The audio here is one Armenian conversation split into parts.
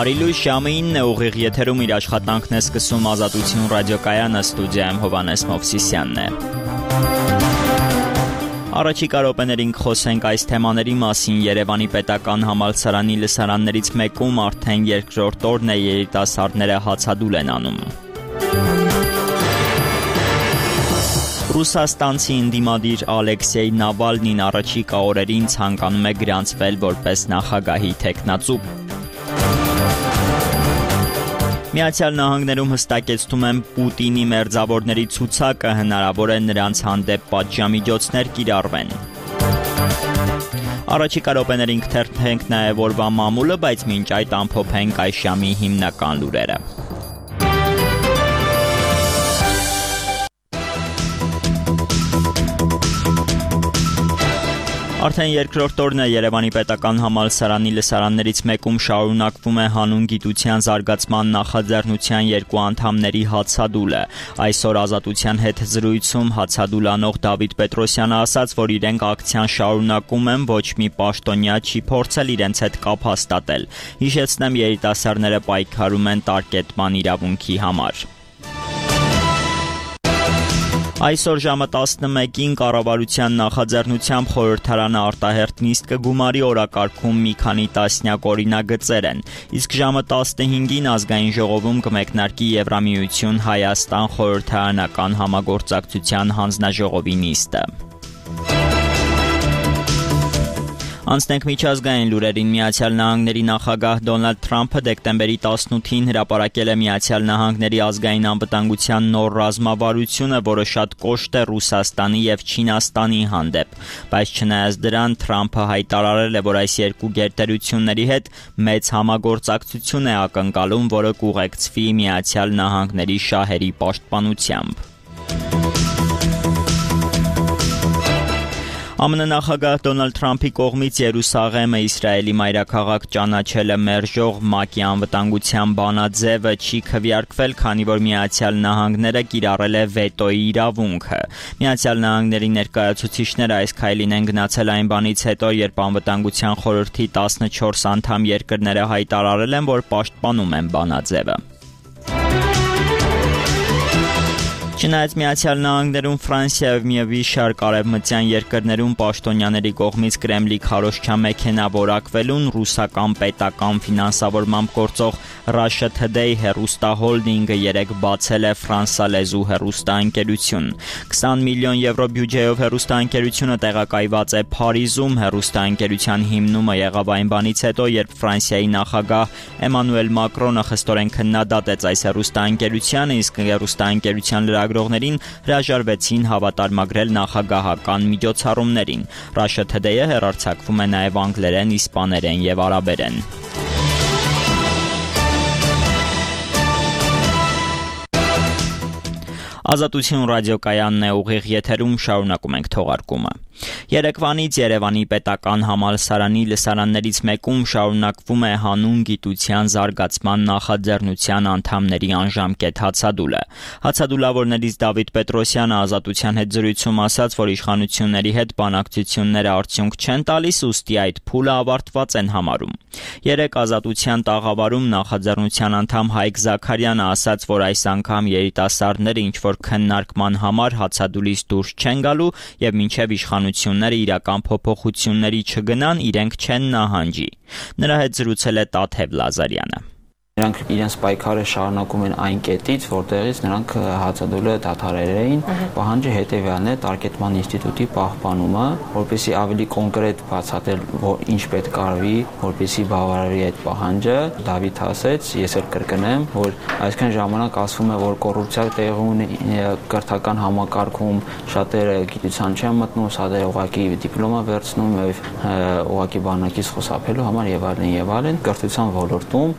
Բարի լույս, ժամը 9 ուղիղ եթերում իր աշխատանքն է սկսում Ազատություն ռադիոկայանը, ստուդիայում Հովհաննես Մովսիսյանն է։ Առաջիկա րոպեներին կխոսենք այս թեմաների մասին։ Երևանի պետական համալսարանի լսարաններից մեկում արդեն երկրորդ օրն է երիտասարդները հացադուլ են անում։ Ռուսաստանցի ընդդիմադիր Ալեքսեյ Նավալնին առաջիկա օրերին ցանկանում է գրանցվել որպես նախագահի թեկնածու։ Միացյալ Նահանգներում հստակեցնում են Պուտինի մերձավորների ցուցակը, հնարավոր է նրանց հանդեպ պատժամիջոցներ կիրառվեն։ Առաջիկա րոպեներին կթերթենք նաև օրվա մամուլը, բայց մինչ այդ ամփոփենք այս ժամի հիմնական լուրերը։ Արդեն երկրորդ օրն է Երևանի պետական համալսարանի լսարաններից մեկում շարունակվում է հանուն գիտության զարգացման նախաձեռնության երկու անդամների հացադուլը։ Այսօր Ազատության հետ զրույցում հացադուլ անող Դավիթ Պետրոսյանը ասաց, որ իրենք ակցիան շարունակում են, ոչ մի պաշտոնյա չի փորձել իրենց հետ կապ հաստատել։ Հիշեցնեմ, երիտասարդները պայքարում են տարկետման իրավունքի համար։ Այսօր ժամը 11-ին կառավարության նախաձեռնությամբ խորհրդարանը արտահերթ նիստ կգումարի, օրակարգում մի քանի տասնյակ օրինագծեր են, իսկ ժամը 15-ին ազգային ժողովում կմեկնարկի Եվրամիություն Հայաստան խորհրդարանական համագործակցության հանձնաժողովի նիստը։ Անցնենք միջազգային լուրերին։ Միացյալ Նահանգների նախագահ Դոնալդ Թրամփը դեկտեմբերի 18-ին հրապարակել է Միացյալ Նահանգների ազգային անվտանգության նոր ռազմավարությունը, որը շատ կոշտ է Ռուսաստանի եւ Չինաստանի հանդեպ։ Բայց չնայած դրան, Թրամփը հայտարարել է, որ այս երկու գերտերությունների հետ մեծ համագործակցություն է ակնկալում, որը կուղեկցվի Միացյալ Նահանգների շահերի պաշտպանությամբ։ ԱՄՆ նախագահ Դոնալդ Թրամփի կողմից Երուսաղեմը Իսրայելի մայրաքաղաք ճանաչելը մերժող ՄԱԿ-ի անվտանգության բանաձևը չի քվեարկվել, քանի որ Միացյալ Նահանգները կիրառել է վետոյի իրավունքը։ Միացյալ Նահանգների ներկայացուցիչները այս քայլին են գնացել այն բանից հետո, երբ Անվտանգության խորհրդի 14 անդամ երկրները հայտարարել են, որ պաշտպանում են բանաձևը։ Չնայած Միացյալ Նահանգներում, Ֆրանսիայով մի շարք արևմտյան երկրներում պաշտոնյաների կողմից Կրեմլի քարոզչամեքենա որակվելուն, ռուսական պետական ֆինանսավորմամբ գործող Russia Today հեռուստահոլդինգը երեկ բացել է ֆրանսալեզու հեռուստաընկերություն։ 20 միլիոն եվրո բյուջեով հեռուստաընկերությունը տեղակայված է Փարիզում։ Հեռուստաընկերության հիմնումը եղավ այն բանից հետո, երբ Ֆրանսիայի նախագահ Էմանուել Մակրոնը խստորեն քննադատեց այս հեռուստաընկերությանը, իսկ հեռուստաընկերության լրագրողներին հրաժարվեցին հավատարմագրել նախագահական միջոցառումներին։ Russia Today-ը հեռարձակվում է նաև անգլերեն, իսպաներեն եւ արաբերեն։ Ազատություն ռադիոկայանն է, ուղիղ եթերում շարունակում ենք թողարկումը։ Երեկվանից Երևանի պետական համալսարանի լսարաններից մեկում շարունակվում է հանուն գիտության զարգացման նախաձեռնության անդամների անժամկետ հացադուլը։ Հացադուլավորներից Դավիթ Պետրոսյանը Ազատության հետ զրույցում ասաց, որ իշխանությունների հետ բանակցությունները արդյունք չեն տալիս, ուստի այդ փուլը ավարտված են համարում։ Երեկ Ազատության տաղավարում նախաձեռնության անդամ Հայկ Զաքարյանը ասաց, որ այս անգամ երիտասարդները ինչ-որ քննարկման համար հացադուլից դուրս չեն գալու եւ մինչեւ իշխանությունները իրական փոփոխությունների չգնան, իրենք չեն նահանջի։ Նրա հետ զրուցել է Տաթև Լազարյանը։ Նրանք իրենց պայքարը շարունակում են այն կետից, որտեղից նրանք հացադուլը դադարել էին։ Պահանջը հետևյալն է՝ տարկետման ինստիտուտի պահպանումը, որպեսզի ավելի կոնկրետ բացատրել, որ ինչ պետք արվի, որպեսզի բավարարի այդ պահանջը։ Դավիթ ասեց, ես էլ կրկնեմ, որ այսքան ժամանակ ասվում է, որ կոռուպցիա տեղի ունի կրթական համակարգում, շատերը գիտության չեն մտնում, շատերը ուղղակի դիպլոմա վերցնում եւ ուղղակի բանակից խուսափելու համար եւ այլն եւ այլն։ Կրթության ոլորտում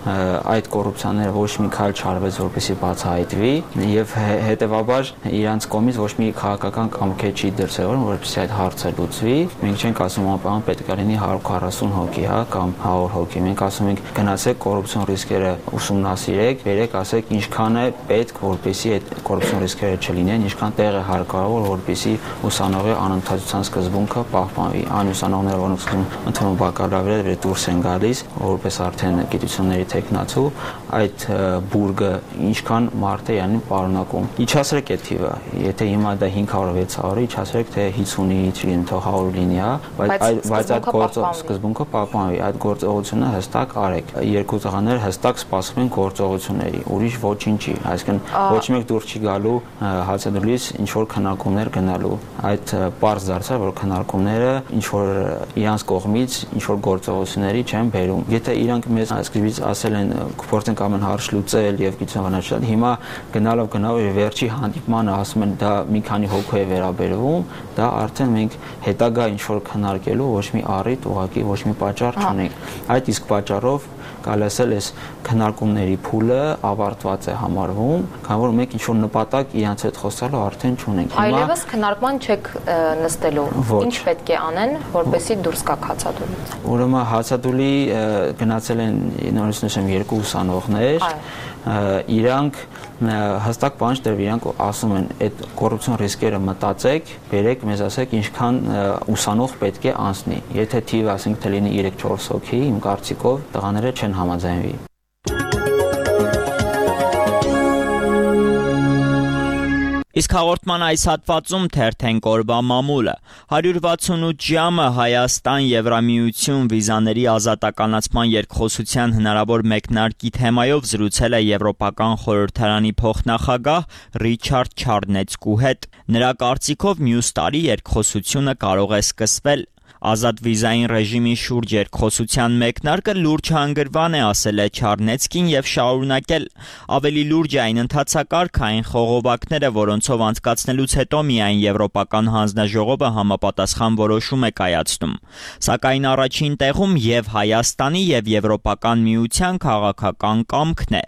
այդ կոռուպցիաները ոչ մի քայլ չարվեց, որպեսզի բացահայտվի, եւ հետեւաբար իրանց կողմից ոչ մի քաղաքական կամք չի դրսևորվում, որպեսզի այդ հարցը լուծվի։ Մենք չենք ասում անպայման պետք է լինի 140 հոգի, հա, կամ 100 հոգի։ Մենք ասում ենք գնացեք կոռուպցիոն ռիսկերը ուսումնասիրեք, վերեք, ասեք ինչքան է պետք, որպեսզի այդ կոռուպցիոն ռիսկերը չլինեն, ինչքան տեղ է հարկավոր, որպեսզի ուսանողի անընդհատության սկզբունքը պահպանվի։ Այն ուսանողները, որոնք ընդունում բակալավրիատ դուրս են գալիս, որպես արդեն գիտությունների թեկնածու, այդ բուրգը ինչքան մարդ է յանի պարունակում։ Իջացրեք այդ թիվը, եթե հիմա դա 500-600, իջացրեք թե 50-ի, չգիտեմ, թող 100 լինի, հա, բայց այդ սկզբունքը պահպանվի, այդ գործողությունը հստակ արեք։ Երկու տղաներ հստակ սպասում են գործողությունների, ուրիշ ոչինչի, այսինքն ոչ մեկ դուրս չի գալու հացադուլից ինչ որ քննարկումներ գնալու։ Այդ պարզ դարձավ, որ քննարկումները ինչ որ իրանց կողմից ինչ որ գործողությունների չեն բերում։ Եթե իրանք մեզ սկզբից ասել են փորձենք ամեն հարց լուծել եւ գիտություն վնասել, հիմա գնալով վերջի հանդիպմանը ասում են դա մի քանի հոգու է վերաբերվում, դա արդեն մենք հետագա ինչ որ քննարկելու ոչ մի առիթ, ուղղակի ոչ մի պատճառ չունենք։ Այդ իսկ պատճառով կարելի ասել այս քննարկումների փուլը ավարտված է համարվում, քանի որ մենք ինչ որ նպատակ իրանց հետ խոսալու արդեն չունենք։ Այլևս քննարկման չեք նստելու։ Ինչ պետք է անեն, որպեսզի դուրս գաք հացադուլից։ Ուրեմն հացադուլի գնացել են նորից նշեմ երկու ուսանողներ, իրանք հստակ բան չդրվի, իրանք ասում են այդ կոռուպցիոն ռիսկերը մտածեք, բերեք մեզ ասեք ինչքան ուսանող պետք է անցնի։ Եթե թիվը ասենք թե լինի 3-4 հոգի, իմ կարծիքով տղաները չեն համաձայնվի։ Իսկ հաղորդման այս հատվածում թերթենք օրվա մամուլը։ 168 ժամը Հայաստան Եվրամիություն վիզաների ազատականացման երկխոսության հնարավոր մեկնարկի թեմայով զրուցել է Եվրոպական խորհրդարանի փոխնախագահ Ռիչարդ Չարնեցկու հետ։ Նրա կարծիքով մյուս տարի երկխոսությունը կարող է սկսվել։ Ազատ վիզային ռեժիմի շուրջ երկխոսության մեկնարկը լուրջ հանգրվան է, ասել է Չարնեցկին եւ շարունակել։ Ավելի լուրջ այն ընթացակարգային խողովակները, որոնցով անցկացնելուց հետո միայն Եվրոպական հանձնաժողովը համապատասխան որոշում է կայացնում։ Սակայն առաջին տեղում եւ Հայաստանի եւ Եվրոպական միության քաղաքական կամքն է։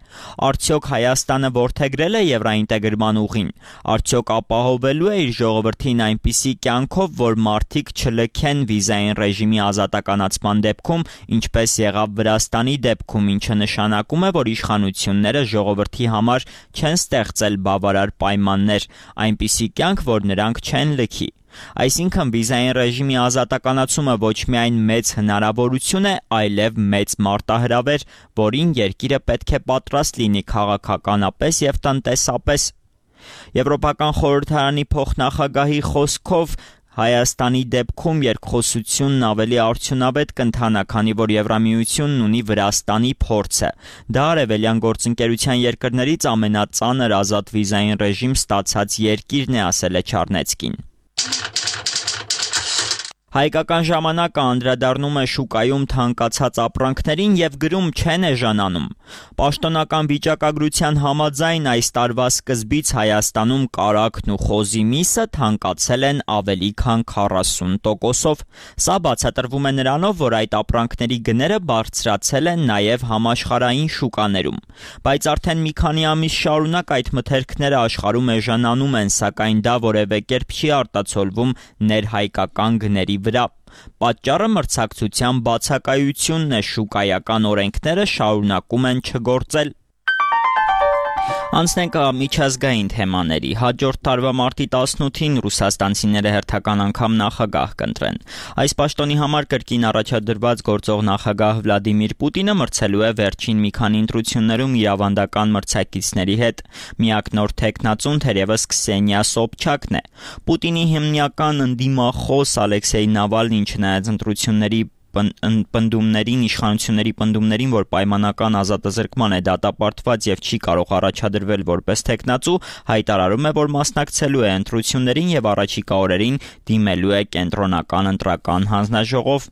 Արդյոք Հայաստանը որդեգրել է եվրոինտեգրման ուղին։ Արդյոք ապահովելու է իր ժողովրդին այնպիսի կյանքով, որ մարդիկ չլքեն վիզային ռեժիմի ազատականացման դեպքում, ինչպես եղավ Վրաստանի դեպքում, ինչը նշանակում է, որ իշխանությունները ժողովրդի համար չեն ստեղծել բավարար պայմաններ, այնպիսի կյանք, որ նրանք չեն լքի։ Այսինքն վիզային ռեժիմի ազատականացումը ոչ միայն մեծ հնարավորություն է, այլև մեծ մարտահրավեր, որին երկիրը պետք է պատրաստ լինի քաղաքականապես եւ տնտեսապես։ Եվրոպական խորհրդարանի փոխնախագահի խոսքով Հայաստանի դեպքում երկխոսությունն ավելի արդյունավետ կընթանա, քանի որ Եվրամիությունն ունի Վրաստանի փորձը։ Դա արևելյան գործընկերության երկրներից ամենածանր ազատ վիզային ռեժիմ ստացած երկիրն է, ասել է Չարնեցկին։ Հայկական ժամանակը անդրադառնում է շուկայում թանկացած ապրանքներին եւ գրում չեն էժանանում։ Պաշտոնական վիճակագրության համաձայն այս տարվա սկզբից Հայաստանում կարագն ու խոզի միսը թանկացել են ավելի քան 40%-ով։ Սա բացատրվում է նրանով, որ այդ ապրանքների գները բարձրացել են նաեւ համաշխարհային շուկաներում։ Բայց արդեն մի քանի ամիս շարունակ այդ մթերքները աշխարհում էժանանում են, սակայն դա որևէ կերպ չի արտացոլվում ներհայկական գների վրա։ Պատճառը մրցակցության բացակայությունն է, շուկայական օրենքները շարունակում են չգործել։ Անցնենք միջազգային թեմաների։ Հաջորդ տարվա մարտի 18-ին ռուսաստանցիները հերթական անգամ նախագահ կընտրեն։ Այս պաշտոնի համար կրկին առաջադրված գործող նախագահ Վլադիմիր Պուտինը մրցելու է վերջին մի քանի ընտրություններում իր ավանդական մրցակիցների հետ։ Միակ նոր թեկնածուն թերևս Քսենիա Սոբչակն է։ Պուտինի հիմնական ընդդիմախոս Ալեքսեյ Նավալնին, չնայած ընտրությունների իշխանությունների պնդումներին, որ պայմանական ազատազրկման է դատապարտված եւ չի կարող առաջադրվել որպես թեկնածու, հայտարարում է, որ մասնակցելու է ընտրություններին եւ առաջիկա օրերին դիմելու է կենտրոնական ընտրական հանձնաժողով։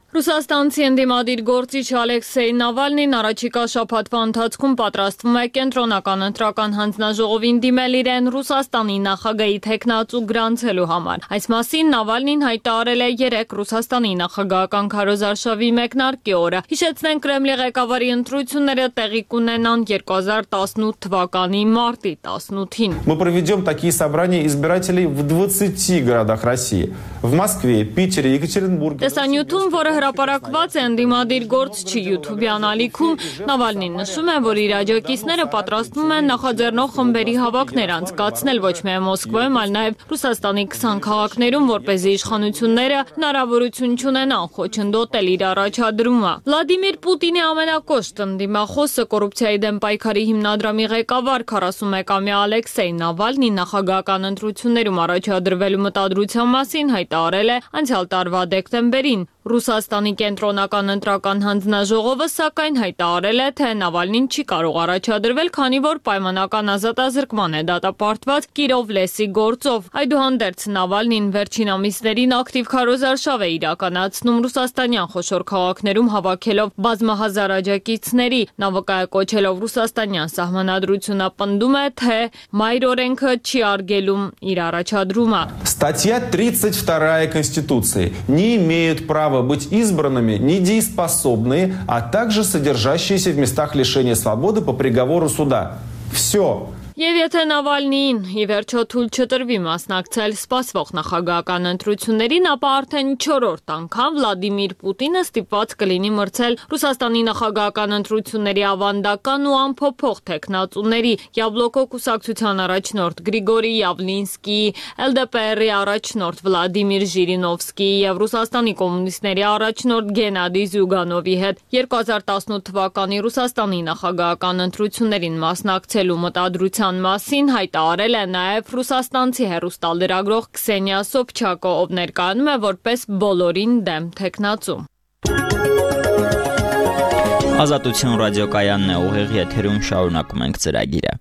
Ռուսաստանցի ընդդիմադիր գործիչ Ալեքսեյ Նավալնին առաջիկա շաբաթվա ընթացքում պատրաստվում է կենտրոնական ընտրական հանձնաժողովին դիմել իրեն Ռուսաստանի նախագահի թեկնածու գրանցելու համար։ Այս մասին Նավալնին հայտարարել է 3 Ռուսաստանի նախագահական քարոզարշավի մեկնարկի օրը։ Հիշեցնենք, Կրեմլի ղեկավարի ընտրությունները տեղի կունենան 2018 թվականի մարտի 18-ին։ Мы проведем такие собрания избирателей в 20 городах России. В Москве, Питере, Екатеринбурге. Տեսանյութում, որը հրապարակված է ընդդիմադիր գործչի YouTube-յան ալիքում, Նավալնին նշում է, որ իր աջակիցները պատրաստվում են նախաձեռնող խմբերի հավաքներ անցկացնել ոչ միայն Մոսկվայում, այլ նաև Ռուսաստանի 20 քաղաքներում, որպեսզի իշխանությունները հնարավորություն չունենան խոչընդոտել իր առաջադրումը։ Վլադիմիր Պուտինի ամենակոշտ ընդդիմախոսը կոռուպցիայի դեմ պայքարի հիմնադրամի ղեկավար 41-ամյա Ալեքսեյ Նավալնին նախագահական ընտրություններում առաջադրվելու մտադրության մասին հայտարարել է անցյալ տարվա դեկտեմբերին։ Ռուսաստանի կենտրոնական ընտրական հանձնաժողովը սակայն հայտարարել է, թե Նավալնին չի կարող առաջադրվել, քանի որ պայմանական ազատազրկման է դատապարտված Կիրով լեսի գործով։ Այդուհանդերձ Նավալնին վերջին ամիսներին ակտիվ քարոզարշավ է իրականացնում ռուսաստանյան խոշոր քաղաքներում հավաքելով բազմահազար աջակիցների։ Նա վկայակոչելով ռուսաստանյան սահմանադրությունը պնդում է, թե մայր օրենքը չի արգելում իր առաջադրումը։ Статья 32 Конституции. Не имеют права быть избранными недееспособные, а также содержащиеся в местах лишения свободы по приговору суда. Все. Եվ եթե Նավալնիին ի վերջո թույլ չտրվի մասնակցել սպասվող նախագահական ընտրություններին, ապա արդեն 4-րդ անգամ Վլադիմիր Պուտինը ստիպված կլինի մրցել Ռուսաստանի նախագահական ընտրությունների ավանդական ու անփոփոխ թեկնածուների Յաբլոկո կուսակցության առաջնորդ Գրիգորի Յավլինսկիի, LDPR-ի առաջնորդ Վլադիմիր Ժիրինովսկիի եւ Ռուսաստանի կոմունիստների առաջնորդ Գենադի Զյուգանովի հետ 2018 թվականի Ռուսաստանի նախագահական ընտրություններին մասնակցելու մտադրության մասին հայտարարել է նաև ռուսաստանցի հեռուստալրագրող Քսենիա Սոբչակը, ով ներկայանում է որպես բոլորին դեմ թեկնածու։ Ազատություն ռադիոկայանն է, ուղիղ եթերում շարունակում ենք ծրագիրը։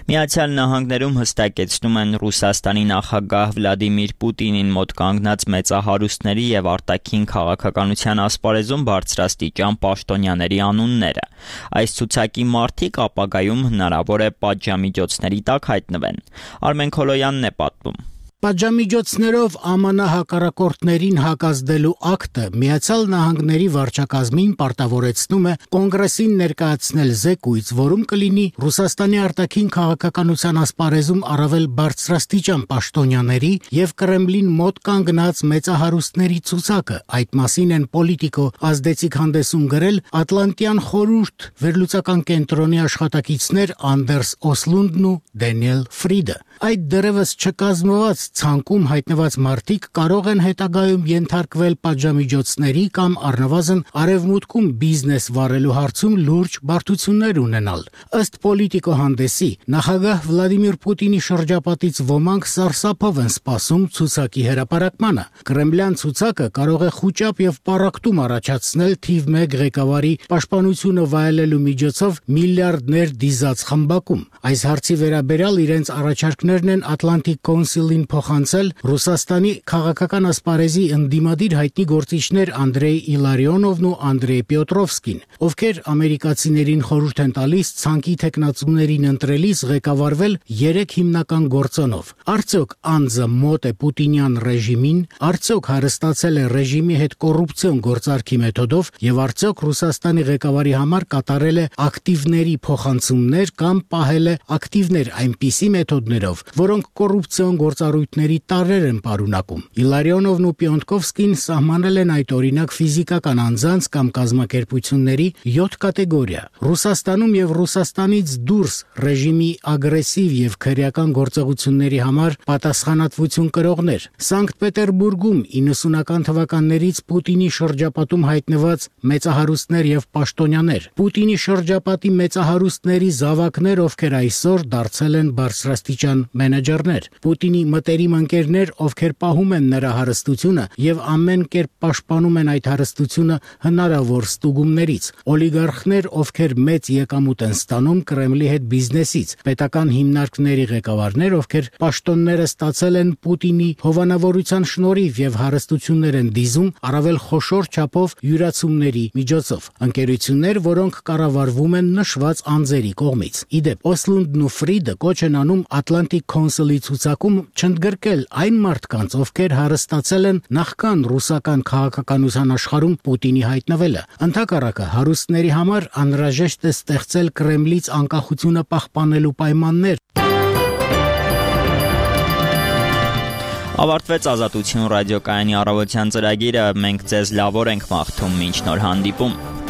Միացյալ Նահանգներում հստակեցնում են Ռուսաստանի նախագահ Վլադիմիր Պուտինին մոտ կանգնած մեծահարուստների եւ արտաքին քաղաքականության ասպարեզում բարձրաստիճան պաշտոնյաների անունները։ Այս ցուցակի մարդիկ ապագայում հնարավոր է պատժամիջոցների տակ հայտնվեն։ Արմեն Քոլոյանն է պատմում։ Պատժամիջոցներով ԱՄՆ հակառակորդներին հակազդելու ակտը Միացյալ Նահանգների վարչակազմին պարտավորեցնում է Կոնգրեսին ներկայացնել զեկույց, որում կլինի Ռուսաստանի արտաքին քաղաքականության ասպարեզում առավել բարձրաստիճան պաշտոնյաների եւ Կրեմլին մոտ կանգնած մեծահարուստների ցուցակը։ Այդ մասին են Պոլիտիկո ազդեցիկ հանդեսում գրել Ատլանտյան խորհուրդ վերլուծական կենտրոնի աշխատակիցներ Անդերս Օսլունդն ու Դենիել Ֆրիդը։ Այդ դեռևս չկազմված ցանկում հայտնված մարդիկ կարող են հետագայում ենթարկվել պատժամիջոցների կամ առնվազն արևմուտքում բիզնես վարելու հարցում լուրջ բարդություններ ունենալ։ Ըստ Պոլիտիկո հանդեսի, նախագահ Վլադիմիր Պուտինի շրջապատից ոմանք սարսափով են սպասում ցուցակի հրապարակմանը։ Կրեմլյան ցուցակը կարող է խուճապ եւ պառակտում առաջացնել թիվ 1 ղեկավարի պաշտպանությունը վայելելու միջոցով միլիարդներ դիզած խմբակում։ Այս հարցի վերաբերյալ իրենց առաջարկներն են Atlantic Council-ին փոխանցել Ռուսաստանի քաղաքական ասպարեզի ընդդիմադիր հայտնի գործիչներ Անդրեյ Իլարիոնովն ու Անդրեյ Պյոտրովսկին, ովքեր ամերիկացիներին խորհուրդ են տալիս ցանկի տեխնացուներին ընտրելիս ղեկավարվել 3 հիմնական գործոնով։ Արդյոք անձը մոտ է պուտինյան ռեժիմին, արդյոք հարստացել է ռեժիմի հետ կոռուպցիոն գործարքի մեթոդով եւ արդյոք Ռուսաստանի ղեկավարի համար կատարել է ակտիվների փոխանցումներ կամ պահել է ակտիվներ այնպիսի մեթոդներով, որոնք կոռուպցիոն գործառույթների տարրեր են պարունակում։ Իլարիոնովն ու Պյոնտկովսկին սահմանել են այդ օրինակ ֆիզիկական անձանց կամ կազմակերպությունների 7 կատեգորիա։ Ռուսաստանում եւ Ռուսաստանից դուրս ռեժիմի ագրեսիվ եւ քրեական գործողությունների համար պատասխանատվություն կրողներ։ Սանկտ Պետերբուրգում 90-ական թվականներից Պուտինի շրջապատում հայտնված մեծահարուստներ եւ պաշտոնյաներ։ Պուտինի շրջապատի մեծահարուստների զավակներ, ովքեր այսօր դարձել են բարձրաստիճան տնտեսական մենեջերներ, Պուտինի մտերիմ ընկերներ, ովքեր պահում են նրա հարստությունը եւ ամեն կերպ պաշտպանում են այդ հարստությունը հնարավոր ստուգումներից, օլիգարխներ, ովքեր մեծ եկամուտ են ստանում Կրեմլի հետ բիզնեսից, պետական հիմնարկների ղեկավարներ, ովքեր պաշտոնները ստացել են Պուտինի հովանավորության շնորհիվ եւ հարստություններ են դիզում առավել խոշոր չափով յուրացումների միջոցով, ընկերություններ, որոնք կառավարվում են նշված անձերի կողմից։ Իդեպ Օսլունդն ու Ֆրիդը կոչ են անում Atlantic Council-ի ցուցակում չընդգրկել այն մարդկանց, ովքեր հարստացել են նախքան ռուսական քաղաքականության աշխարհում Պուտինի հայտնվելը։ Ընդհակառակը հարուստների համար անհրաժեշտ է ստեղծել Կրեմլից անկախությունը պահպանելու պայմաններ։ Ավարտվեց Ազատություն ռադիոկայանի առավոտյան ծրագիրը, մենք ձեզ լավ օր ենք մաղթում, մինչ նոր հանդիպում։